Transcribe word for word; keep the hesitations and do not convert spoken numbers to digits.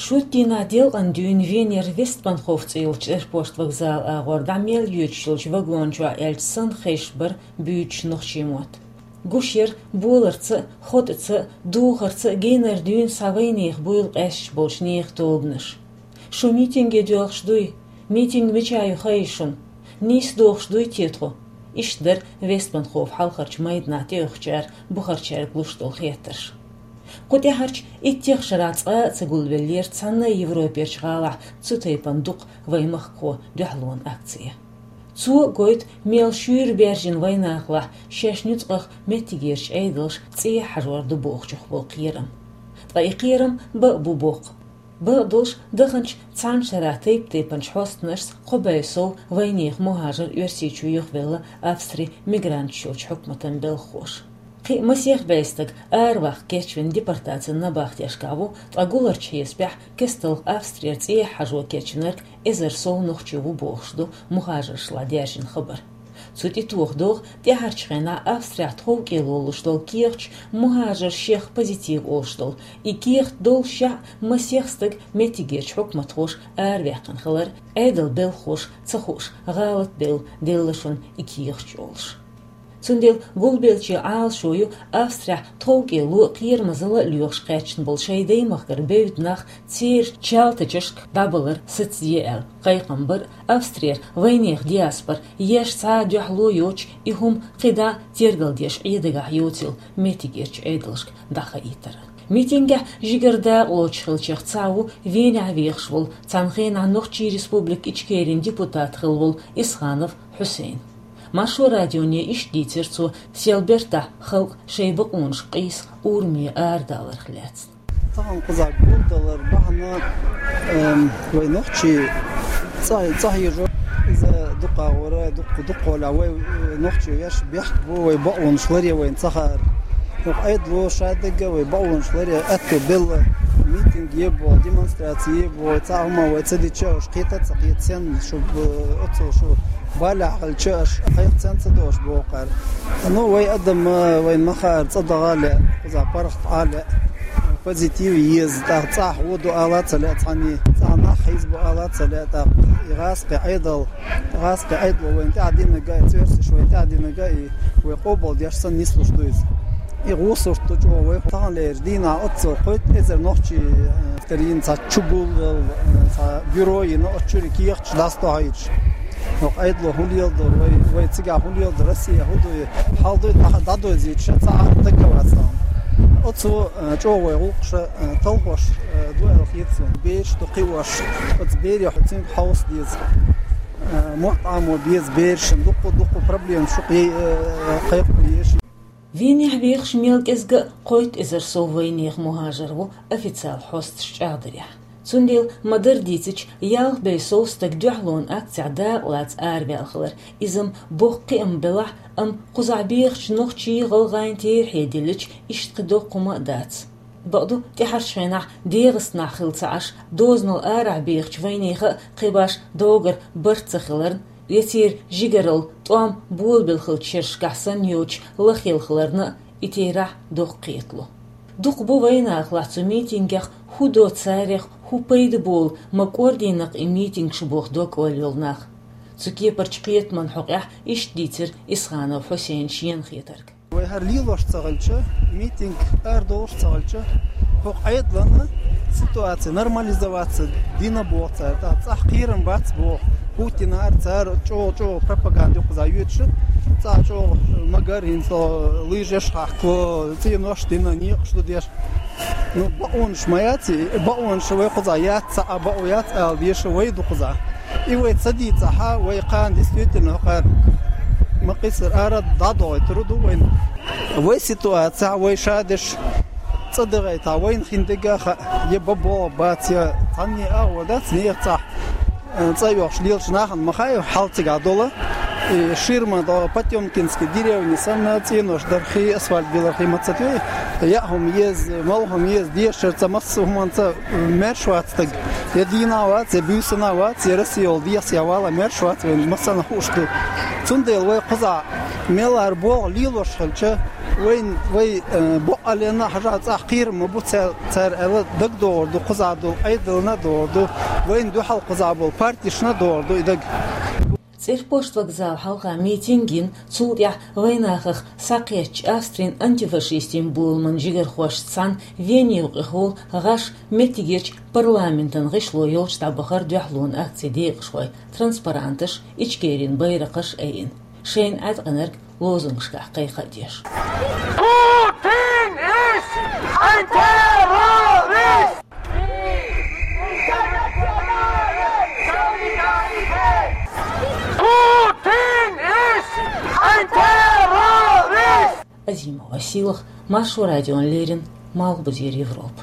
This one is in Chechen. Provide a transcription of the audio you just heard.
Шоттийнахь делкъан дуьйна Венера Вестбанхоф цӀе йолчу аэропорт вокзал агӀор дӀа мел йоьдуш йолчу вагон чохь аьлча санна хезаш бара буьйцуш нохчийн мотт. Гуш яра боларца а, хотӀаца а, духарца а генара дуьйна схьа вайнехан буйла къаьсташ болчу нехан тобанаш. Шу митинге доьлхуш дуй? Митинг мичахь ю хаий шуна? Нийса дохуш дуй те тхо? Иштта дара Вестбанхоф хьалхарчу майданахь тӀеоьхучара бухарчаьрга луш долу хеттарш. Кху тӀаьхьарчу иттех шарахь цкъа а ца гулвеллера цхьанна а Европерчу гӀалахь цу тайпана дукха вайн махкахо дуьхьалонан акция. Цо а гойту, мел шуьйра баьржина вайнахалахь шаьш нуьцкъах меттигерчу Ӏедалша цӀехьа хьажор ду бохучух болу кхерам. Ткъа и кхерам бан а бу боккха. Бан а долуш, даханчу цхьана шарахь тайп-тайпанчу хьостанашца кхо бӀе сов вайнехан мухӀажар Оьрсийчу юхавелла Австрин мигранташ йолчу хьукматан белхахоша. Кхин а масех бӀе стаг араваккха кечвина депортацин набахтешкахь ву, ткъа гуларчу хьесапехь кестта Австрера цӀехьа хьажо кечвинарг эзар сов нохчи ву бохуш ду мухӀажаршла даьржина хабар. Цу тӀе тоха догӀу тӀаьхьарчу хенахь Австрехь тховкӀело луш долу кехаташ, мухӀажарш шех позитив олуш долу. И кехат доллушехь а масех стаг меттигерчу хьукматхоша араваьккхина хилар, Ӏедалан белхахоша ца хууш, гӀалат белла делла шуна и кехаташ олуш. Цундела гулбеллачийн Ӏалашо ю Австрехь тховкӀело а, кхерамазалла а лоьхуш кхаьчна болу шайн даймахкара бевдда нах церан чалтачашка дӀабалар сацаде аьлла. Кхайкхам бара Австрера вайнехан диаспора еш цхьа а дуьхьало йоцуш, и хӀума кхидӀа а тергалдеш Ӏедагахь йоцийла меттигерчу Ӏедалшка дӀахаийтар. Митингехь жигара дакъалоцуш хиллачех цхьаъ ву Венехь вехаш волу, цхьана хенахь Нохчийн Республика Ичкерин депутат хилла волу Исханов Хьусейн. Маршо радионе иштта дийцира цо, сел бертахь халкъ шайн бакъонашка къийса ураме арадаларх лаьцна. Тахана кхузахь гулдалар бахьана, эм, вай нохчий цӀа-, цӀа хьежо, иза дукха гӀора, дукха, дукха хьолахь вай, э, нохчий веш бехк бу, вай бакъонаш ларе вайна ца хаьара. ХӀокху Ӏедало шадерг а вай бакъонаш ларе аьтто белла, митинг е боху, демонстраци е боху, цхьа а хӀума вай ца дича, уьш кхета а ца кхета, сенна шу, э, оццул шу балехь хилча, аша кхайкха сенна ца до аша боху кхара. Ну, вай адам, э, вайна ма хаьара, цӀа даха а лаьа, кхузахь паргӀат Ӏа а лаьа, позитив еза, тӀаккха цӀахь вон ду ала а ца лаьа цхьанний, цӀахь нах хьийзабо ала а ца лаьа, тӀаккха и гӀазкхи Ӏедал, гӀазкхи Ӏедало вайна тӀаьхьа динарг а, и цоьрсаш вайна тӀаьхьа динарг а, и вай къобалдеш санна нислуш ду иза. И гӀо сурт ду чӀогӀа вай. Таханлерчу дийнахь оццул кхойтта эзар нохчий, э, тера йина цхьа чугул, э, цхьа бюро йина, оцу чуьра кехаташ дӀасадохьуьйтуш. ХӀокху Ӏедало хӀун леладо, вай, вай цигахь хӀун леладо, Россия хӀун ду, хьал дуй, дӀа-, дӀадойзуьйтуш, цхьа а дагавац тахана. Оццул, э, чӀогӀа вай гӀуллакхаш, э, талхош, э, ду аьлла хета суна. Бераш ду кхиош, оцу берех цуьнга хьовса деза. Э, мотт Ӏамо беза берашна, дуккха-дуккха проблемаш ю кхе-, э, кхайкхо еза. Венехь вехаш мел кӀезга а кхойтта эзар сов вайнехан мухӀажар ву официал хьосташ чӀагӀдарехь. Цундела ма-дарра дийцича, ялх бӀе сов стаг дуьхьалонан акцехь дакъалаца араваьлла хилар. Иза-м боккха кхиам белахь а, амма кхузахь бехачу нохчийн, гӀалгӀайн терахье диллича, иштта кхин доккха хӀума а дац. Бакъду, тӀаьхьарчу хенахь ДегӀастанахь хилла ца Ӏаш, дозанал арахь бехачу вайнехан а кхин башха догара барт ца хиларна, я церан жигаралла тӀом болабелла хиллачу шерашкахь санна йоцуш лахъелла хиларна а и терахь доккха кхетало. Дукха бу вайнахалахь цу митингех хӀун до царех, хӀун пайда болу, ма кӀордийна-кх и митингаш боху дог-ойла йолу нах. Цу кепарчу кхетаман хьокъехь иштта дийцира Исханов Хьусейна шена хетарг. Вай хӀара лелош ца хилча, митинг арадолуш ца хилча, хӀокху Ӏедалан ситуация нормализоваться дина боху цара. ТӀаккха цӀахь кхерам бац боху. Путинара цара чӀогӀа-чӀогӀа пропаганда ю кхузахь йоьдуш, цӀахь чӀогӀа магар хӀинца лыжеш хьахко, цӀенош дина, некъаш ду деш. Ну, бакъонаш ма яц и, бакъонаш вай кхузахь яц, цхьа а бакъо яц ала дезаш вай ду кхузахь. И вай ца дийцахь, вай кхана действительно хӀокхара ма кхиссара ара дӀадохуьйтур ду вайна. Вай ситуацехь, вай шадерш цӀа дагӀийтахь, вайна хин дерг а хаьа, я бан болх бац, я цхьанне а агӀо дац, нехан цӀахь, э, цӀа йохуш лелачу нахана ма хаьа хьал цигахь долу. И ширма до Потёмкинский деревни санна, цӀенош дархий, асфальт билархий ма ца тоьу, яа хӀума еза, мала хӀума еза, дешара цӀа массо а хӀуманца, э, маьрша вац стаг. Я дийнахь вац, я буьйсанна вац, я Россия йолу дехьа вала маьрша вац вайн массанхьа хууш ду. Цундела вай кхузахь мел а болх лелош хилча, Вайн, вай, э, бокъонца хьажа цӀагӀа кхерам ма бу цар, цар аьлла дагадогӀур ду, кхузахь долу Ӏедална а догӀур ду, вайна дуьхьал кхузахь болу партешна а догӀур ду и дага. ЦӀерпошт вокзал хьалха митинг йина, цул тӀаьхьа вайнахах схьакхеттачу Австрин антифашистийн боламан жигархошца цхьаьна Вене юкъахь волу гӀаш меттигерчу парламентан гӀишло йолчу дӀабахара дуьхьалонан акцин декъашхой транспаранташ, Ичкерин байракхаш айина, шайна Ӏаткъинарг лозунгашкахь кхайкха а деш. Путин ist ein Terrorist! Путин ist ein Terrorist! Азимова Силах, Маршо радион леррина, Малхбузера Европа.